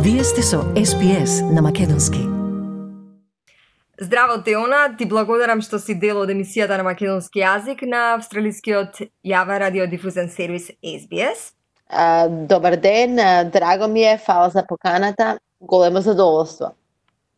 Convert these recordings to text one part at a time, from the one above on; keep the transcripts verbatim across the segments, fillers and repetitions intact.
Вие сте со Ес Би Ес на Македонски. Здраво, Теона, ти благодарам што си дел од емисијата на македонски јазик на австралискиот јавен радиодифузен сервис Ес Би Ес. А, добар ден, драго ми е, фала за поканата, големо задоволство.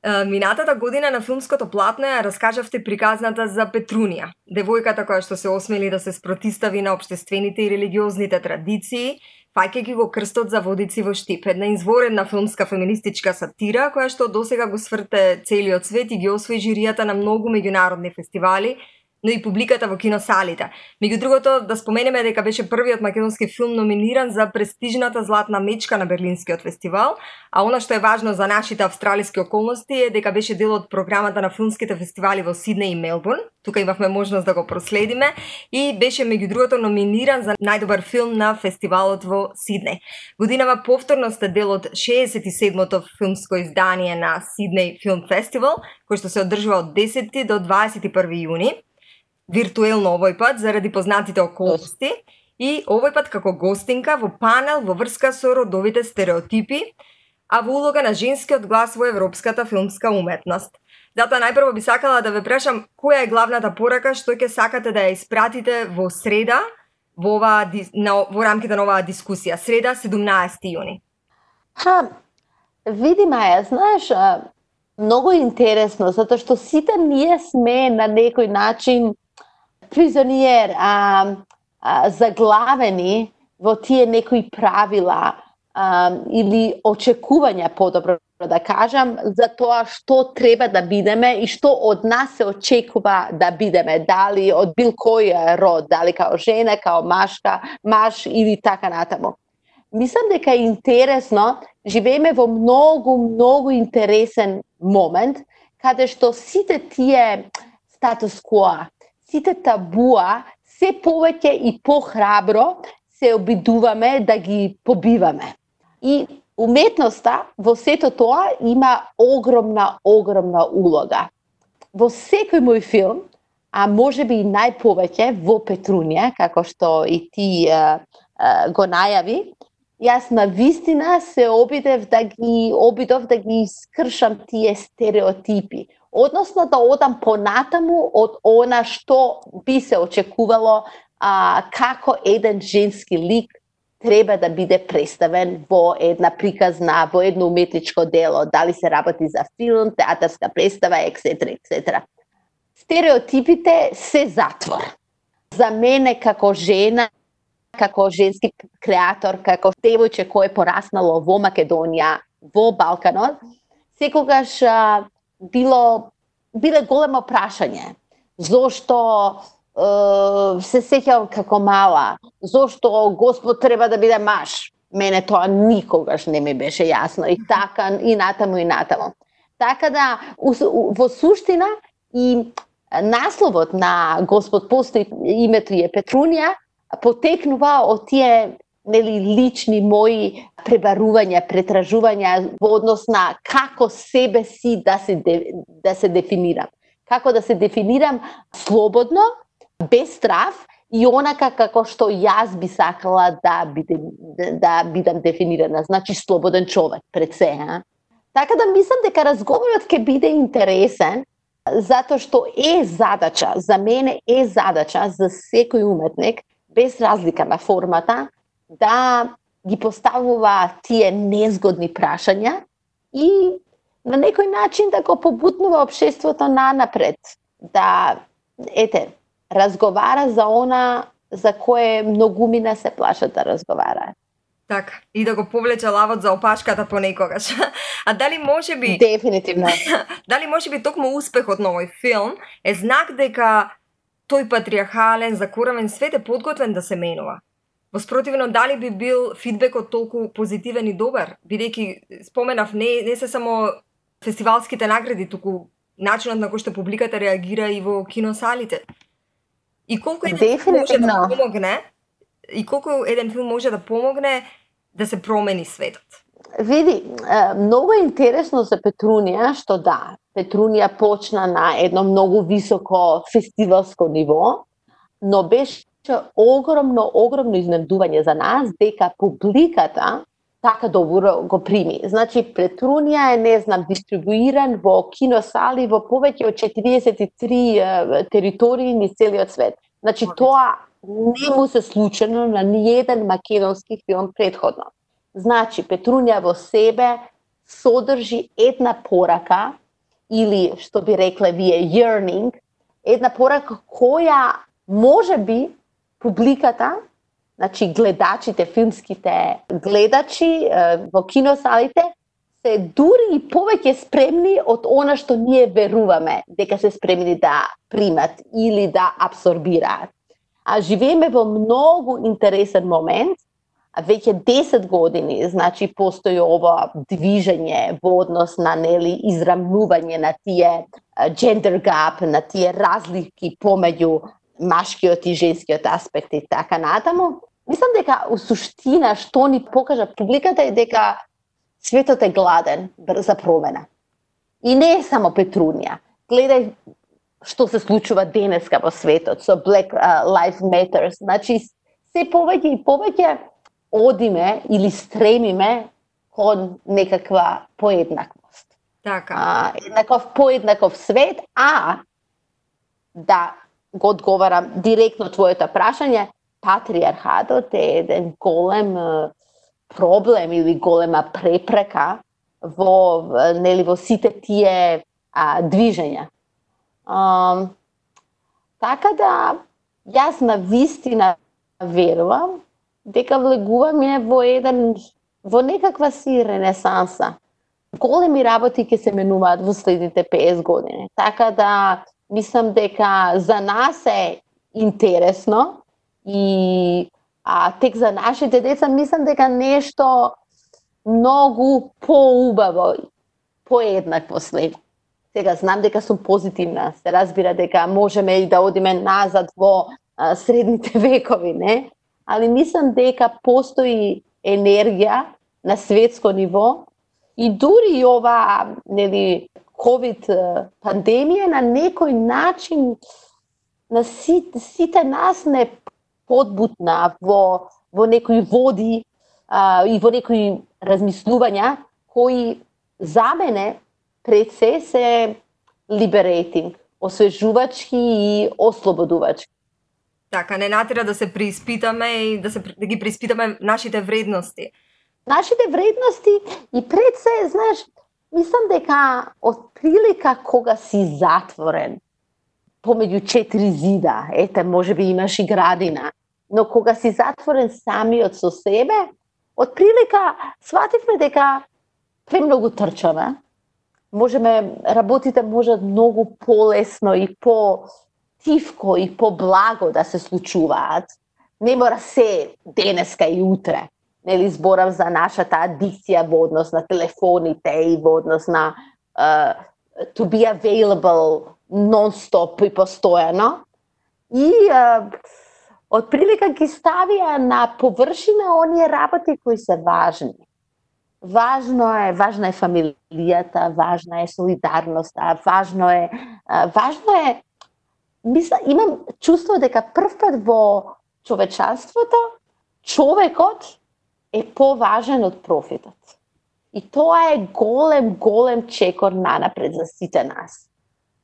А, минатата година на филмското платно ја раскажавте приказната за Петрунија, девојката која што се осмели да се спротистави на општествените и религиозните традиции, фаќајќи го крстот за водици во Штип, една изворедна филмска феминистичка сатира која што досега го сврте целиот свет и ги освои жиријата на многу меѓународни фестивали, но и публиката во киносалите. Меѓу другото, да споменеме дека беше првиот македонски филм номиниран за престижната златна мечка на Берлинскиот фестивал, а она што е важно за нашите австралиски околности е дека беше дел од програмата на филмските фестивали во Сиднеј и Мелбурн. Тука имавме можност да го проследиме и беше меѓу другото номиниран за најдобар филм на фестивалот во Сиднеј. Годинава повторно сте дел од шеесет и седмото филмско издание на Сиднеј Филм Фестивал, кој што се одржува од десети до дваесет и први јуни. Виртуелно овој пат заради познатите околности и овој пат како гостинка во панел во врска со родовите стереотипи, а во улога на женскиот глас во европската филмска уметност. Затоа најпрво би сакала да ве прашам која е главната порака што ќе сакате да ја испратите во среда во ова на во рамките на оваа дискусија, среда седумнаесети јуни. Ха, види Маја, знаеш, многу интересно, затоа што сите ние сме на некој начин призониер, а, а, заглавени во тие некои правила а, или очекувања, подобро да кажам, за тоа што треба да бидеме и што од нас се очекува да бидеме, дали од бил кој род, дали као жена, као машка, маш или така натаму. Мислам дека е интересно, живееме во многу, многу интересен момент, каде што сите тие статус кво, сите табуа, се повеќе и похрабро се обидуваме да ги побиваме. И уметноста во сето тоа има огромна, огромна улога. Во секој мој филм, а можеби и најповеќе во Петрунија, како што и ти а, а, го најави, јас на вистина се обидев да ги обидов да ги искршам тие стереотипи. Односно да одам понатаму од она што би се очекувало а, како еден женски лик треба да биде представен во една приказна, во едно уметничко дело, дали се работи за филм, театарска представа, ексетера, ексетера. Стереотипите се затвор. За мене како жена, како женски креатор, како девојче кој е пораснало во Македонија, во Балканот, секогаш а, било биле големо прашање. Зошто е, се сеќавам како мала, зошто Господ треба да биде маж? Мене тоа никогаш не ми беше јасно и така и натаму и натаму. Така да во суштина и насловот на Господ постои, името е Петрунија, потекнува од тие нели лични мои пребарувања, претражувања во однос на како себе си да се да се дефинирам. Како да се дефинирам слободно, без страв и онака како што јас би сакала да бидем да бидам дефинирана, значи слободен човек пред се, а? Така да мислам дека разговорот ќе биде интересен, затоа што е задача, за мене е задача за секој уметник, без разлика на формата, да ги поставува тие незгодни прашања и на некој начин да го побутнува општеството на напред. Да, ете, разговара за она за кое многумина се плашат да разговара. Така, и да го повлече лавот за опашката понекогаш. А дали може би... Дефинитивно. Дали може би токму успехот на овој филм е знак дека тој патриархален, закоравен свет е подготвен да се менува? Воспротивно, дали би бил фидбекот толку позитивен и добар? Бидејќи споменав, не, не се само фестивалските награди, туку начинот на кој што публиката реагира и во киносалите. И колку еден филм може да помогне, и колку еден филм може да помогне да се промени светот? Види, многу е интересно за Петрунија, што да, Петрунија почна на едно многу високо фестивалско ниво, но беше огромно, огромно изненадување за нас дека публиката така добро го прими. Значи, Петрунија е, не знам, дистрибуиран во киносали во повеќе од четириесет и три е, територии низ целиот свет. Значи, тоа не му се случено на ниеден македонски филм предходно. Значи, Петрунија во себе содржи една порака, или, што би рекле вие, yearning, една порака која може би публиката, значи гледачите, филмските гледачи во киносалите, се дури и повеќе спремни од она што ние веруваме дека се спремни да примат или да абсорбираат. А живееме во многу интересен момент, веќе десет години, значи постои ова движење во однос на нели израмнување на тие gender gap, на тие разлики помеѓу машкиот и женскиот аспект и така натаму. Мислам дека у суштина што ни покажа публиката е дека светот е гладен за промена. И не е само Петрунија. Гледај што се случува денеска во светот со Black uh, Lives Matter. Значи се повеќе и повеќе одиме или стремиме кон некаква поеднаквост. Така. А, еднаков поеднаков свет, а да го одговарам директно твоето прашање, патриархатот е еден голем проблем или голема препрека во нели во сите тие а, движења. А, така да јас на вистина верувам дека влегуваме во еден во некаква си ренесанса. Големи работи ќе се менуваат во следните песет години. Така да мислам дека за нас е интересно и а тек за нашите деца мислам дека нешто многу поубаво, поеднакво след. Сега знам дека сум позитивна, се разбира дека можеме и да одиме назад во а, средните векови, не? Али мислам дека постои енергија на светско ниво и дури и ова нели ковид пандемија на некој начин на сите, сите нас не подбутна во во некои води а, и во некои размислувања кои за мене пред се се liberating, освежувачки и ослободувачки. Така, не натера да се преиспитаме и да се да ги преиспитаме нашите вредности. Нашите вредности и пред се, знаеш, мислам дека од прилика кога си затворен помеѓу четири зида, ете, можеби имаш и градина, но кога си затворен самиот со себе, од прилика свативме дека премногу трчаме. Можеме, работите можат многу полесно и по тивко и по-благо да се случуваат. Не мора се денеска и утре. Нели зборам за нашата адикција во однос на телефоните и во однос на uh, to be available non-stop и постојано. И uh, од прилика ги ставија на површина оние работи кои се важни. Важно е, важна е фамилијата, важна е солидарноста, важно е, uh, важно е Мисля, имам чувство дека прв пат во човечанството човекот е поважен од профитот. И тоа е голем, голем чекор нанапред за сите нас.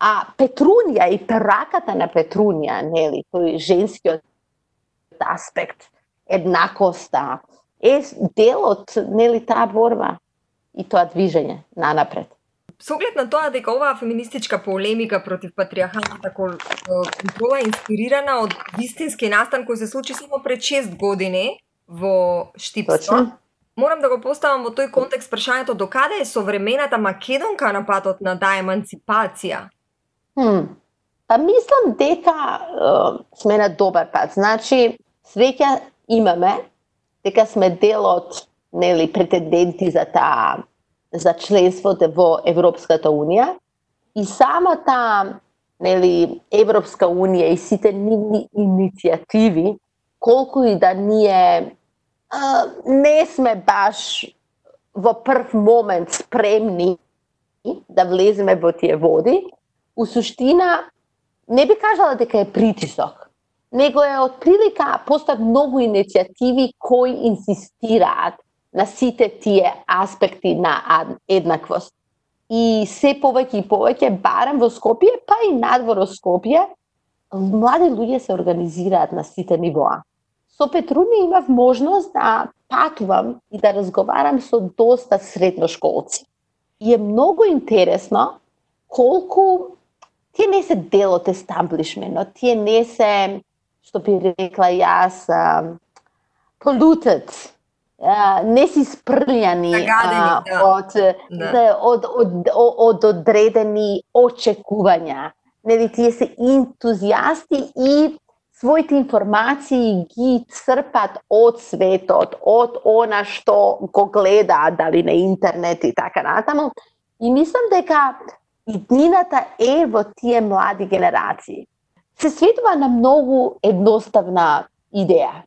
А Петрунија и пераката на Петрунија, нели, тој женскиот аспект, еднакоста, е дел од, нели, таа борба и тоа движење нанапред. Со оглед на тоа дека оваа феминистичка полемика против патриархалната контрола е инспирирана од вистински настан кој се случи само пред шест години во Штипско, морам да го поставам во тој контекст прашањето докаде е современата македонка на патот на таа еманципација? Хм. Па мислам дека е, сме на добар пат. Значи, среќа имаме дека сме дел од, нели, претенденти за таа за членството во Европската унија и самата, нели, Европска унија и сите нивни иницијативи, колку и да ние а, не сме баш во прв момент спремни да влеземе во тие води, у суштина не би кажала дека е притисок, него е од прилика постојат многу иницијативи кои инсистираат на сите тие аспекти на еднаквост. И се повеќе и повеќе, барем во Скопје, па и надвор од Скопје, млади луѓе се организираат на сите нивоа. Со Петруња имав можност да патувам и да разговарам со доста средношколци. И е многу интересно колку тие не се дел од естаблишментот, тие не се, што би рекла јас, uh, polluted, uh, не си спрљани uh, да. од, да. Да, од, од, од, од одредени очекувања. Нели, тие се ентузијасти и своите информации ги црпат од светот, од она што го гледаат, дали на интернет и така натаму. И мислам дека иднината е во тие млади генерации. Се светува на многу едноставна идеја.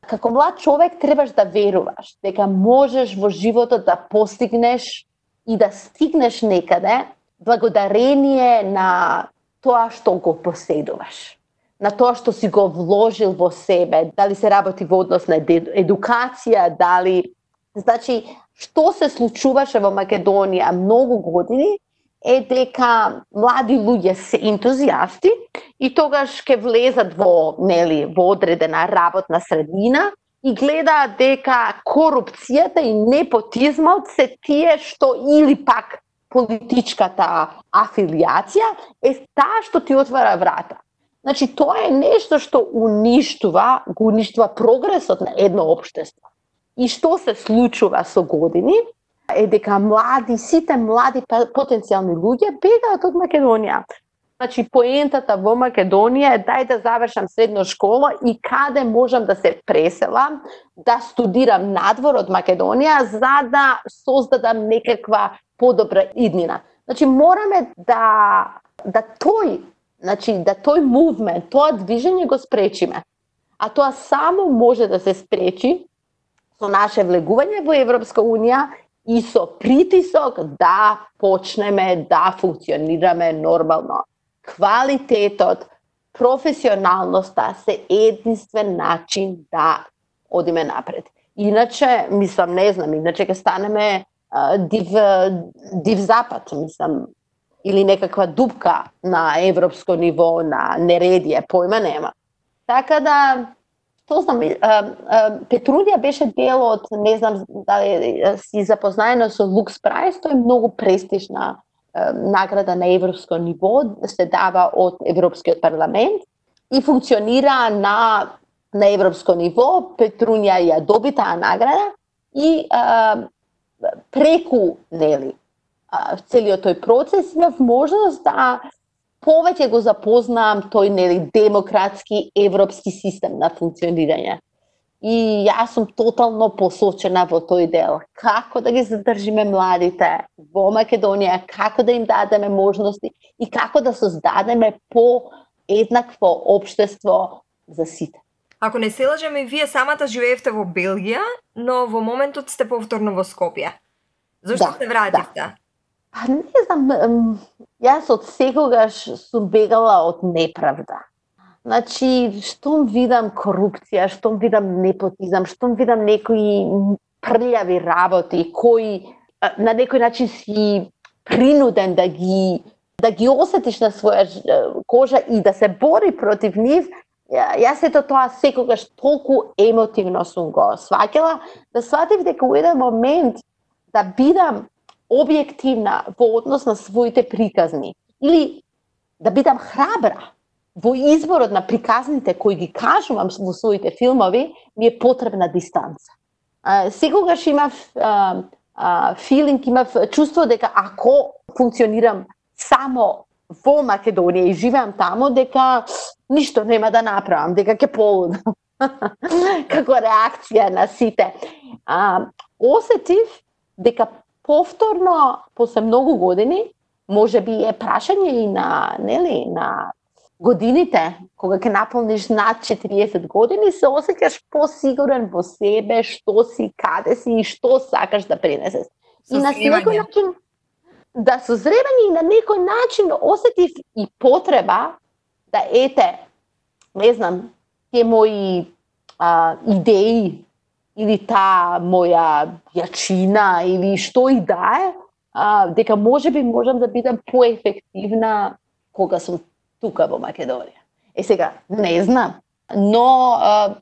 Како млад човек требаш да веруваш дека можеш во животот да постигнеш и да стигнеш некаде благодарение на тоа што го поседуваш, на тоа што си го вложил во себе, дали се работи во однос на едукација, дали... Значи, што се случуваше во Македонија многу години е дека млади луѓе се ентузијасти и тогаш ќе влезат во, нели, во одредена работна средина и гледаат дека корупцијата и непотизмот се тие што или пак политичката афилијација е таа што ти отвара врата. Значи, тоа е нешто што уништува, го уништува прогресот на едно општество. И што се случува со години е дека млади, сите млади потенцијални луѓе бегаат од Македонија. Значи, поентата во Македонија е дај да завршам средна школа и каде можам да се преселам, да студирам надвор од Македонија, за да создадам некаква подобра иднина. Значи, мораме да, да тој, значи, да тој мувмент, тоа движење го спречиме. А тоа само може да се спречи со наше влегување во Европска Унија и со притисок да почнеме да функционираме нормално. Квалитетот, професионалноста се единствен начин да одиме напред. Иначе, мислам, не знам, иначе ќе станеме uh, див, див запад, мислам, или некаква дупка на европско ниво, на нередие, појма нема. Така да, што знам, Петруња беше дел од, не знам дали си запознаена со Lux Prize, тоа е многу престижна награда на европско ниво, се дава од Европскиот парламент и функционира на, на европско ниво. Петруња ја доби таа награда и а, преку, нели, а, целиот тој процес имав можност да повеќе го запознам тој, нели, демократски европски систем на функционирање. И јас сум тотално посочена во тој дел. Како да ги задржиме младите во Македонија, како да им дадеме можности и како да создадеме по-еднакво општество за сите. Ако не се лажеме, вие самата живеевте во Белгија, но во моментот сте повторно во Скопје. Зошто да, се вративте? Да. А не знам, јас од секогаш сум бегала од неправда. Значи, штом видам корупција, штом видам непотизам, штом видам некои прљави работи, кои на некој начин си принуден да ги да ги осетиш на своја кожа и да се бори против нив, јас ето тоа секогаш толку емотивно сум го сваќала, да сватив дека во еден момент да бидам објективна во однос на своите приказни или да бидам храбра во изборот на приказните кои ги кажувам во своите филмови, ми е потребна дистанца. А, секогаш имав а, а, филинг, имав чувство дека ако функционирам само во Македонија и живеам таму, дека ништо нема да направам, дека ќе полудам. Како реакција на сите. А, осетив дека повторно, после многу години, може би е прашање и на, нели, на годините, кога ќе наполниш над четириесет години, се осеќаш посигурен во себе, што си, каде си и што сакаш да пренесеш. И на некој начин, да созревање и на некој начин осетив и потреба да ете, не знам, тие мои а, идеи или таа моја јачина или што и да е, а, дека можеби можам да бидам поефективна кога сум тука во Македонија. Е сега, не знам, но а,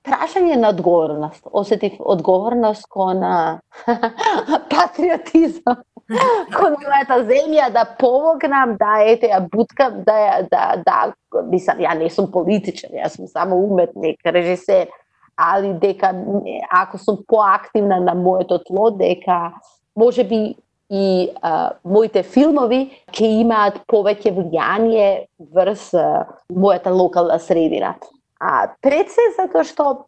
прашање на одговорност, осетив одговорност кон патриотизам, кон мојата земја, да помогнам, да ете ја буткам, да ја да да мислам, ја не сум политичар, јас сум само уметник, режисер, али дека ако сум поактивна на моето тло, дека можеби и а, моите филмови ќе имаат повеќе влијание врз а, мојата локална средина. А пред се затоа што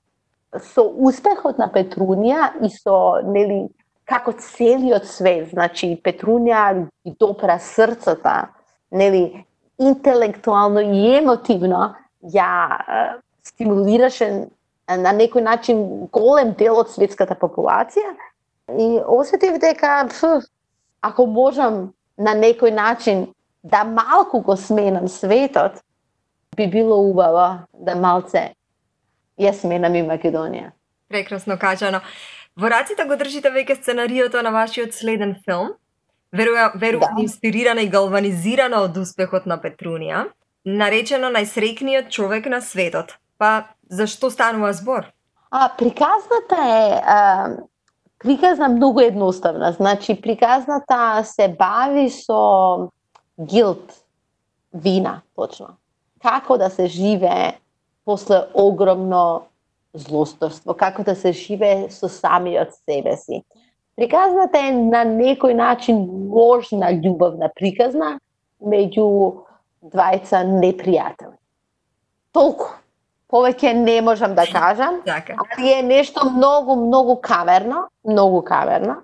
со успехот на Петрунија и со нели како целиот свет, значи Петрунија ги допра срцата, нели интелектуално и емотивно ја а, стимулираше на некој начин голем дел од светската популација и осетив дека пф, ако можам на некој начин да малку го сменам светот, би било убаво да малце ја сменам и Македонија. Прекрасно кажано. Во раците го држите веќе сценариото на вашиот следен филм. Верувам, верувам да. Инспирирана и галванизирана од успехот на Петрунија, наречено најсреќниот човек на светот. Па, зашто станува збор? А, приказната е а, приказна многу едноставна. Значи, приказната се бави со гилт, вина, точно. Како да се живее после огромно злосторство, како да се живее со самиот себе си. Приказната е на некој начин ложна љубовна приказна меѓу двајца непријатели. Толку. Повеќе не можам да кажам, али е нешто многу, многу каверно, многу каверно.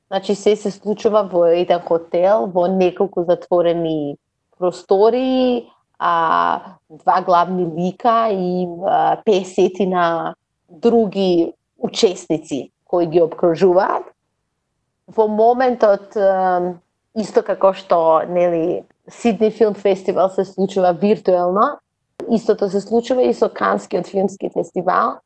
Значи, се се случува во еден хотел, во неколку затворени простори, а, два главни лика и а, песетина други учесници кои ги обкружуваат. Во моментот, а, исто како што нели Сидни филм фестивал се случува виртуелно, истото се случува и со Канскиот филмски фестивал.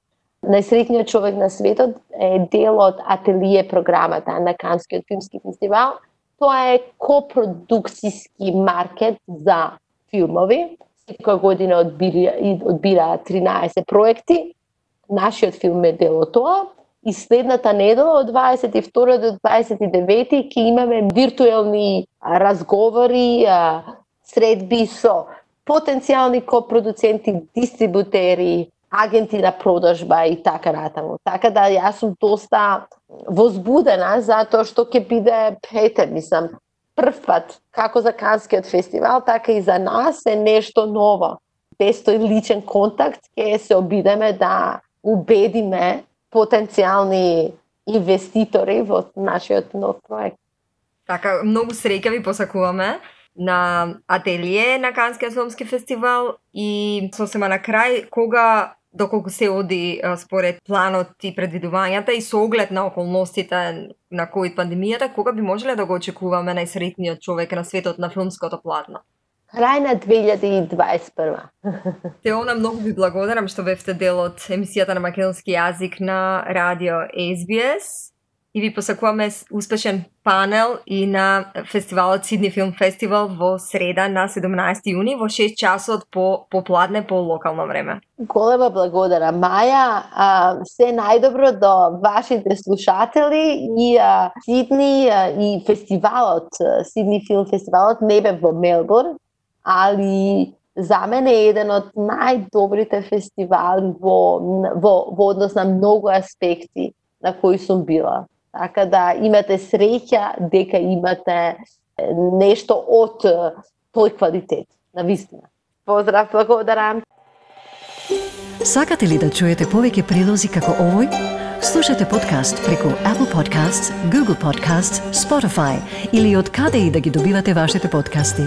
Најсреќниот човек на светот е дел од ателие програмата на Канскиот филмски фестивал. Тоа е копродукцијски маркет за филмови. Секоја година одбира, одбира тринаесет проекти. Нашиот филм е дел од тоа. И следната недела од дваесет и втори до дваесет и девети ќе имаме виртуелни разговори, средби со потенцијални копродуценти, дистрибутери, агенти на продажба и така натаму. Така да јас сум доста возбудена затоа што ќе биде, ете, мислам, прв пат, како за Канскиот фестивал, така и за нас е нешто ново. Без тој личен контакт ќе се обидеме да убедиме потенцијални инвеститори во нашиот нов проект. Така, многу среќа ви посакуваме на ателие на Канскиот филмски фестивал и сосема на крај, кога, доколку се оди според планот и предвидувањата и со оглед на околностите на ковид пандемијата, кога би можеле да го очекуваме најсреќниот човек на светот на филмското платно? Крај на две илјади и дваесет и прва. Теона, многу ви благодарам што бевте дел од емисијата на македонски јазик на радио Ес Би Ес и ви посакуваме успешен панел и на фестивалот Сидни филм фестивал во среда на седумнаесети јуни во шест часот по попладне по локално време. Голема благодара, Маја. А, се најдобро до вашите слушатели и а, Сидни а, и фестивалот, Сидни филм фестивалот не бе во Мелбурн, али за мене е еден од најдобрите фестивали во, во, во однос на многу аспекти на кои сум била. Така да имате среќа дека имате нешто од тој квалитет, на вистина. Поздрав, благодарам. Сакате ли да чуете повеќе прилози како овој? Слушате подкаст преку Apple Podcasts, Google Podcasts, Spotify или од каде и да ги добивате вашите подкасти.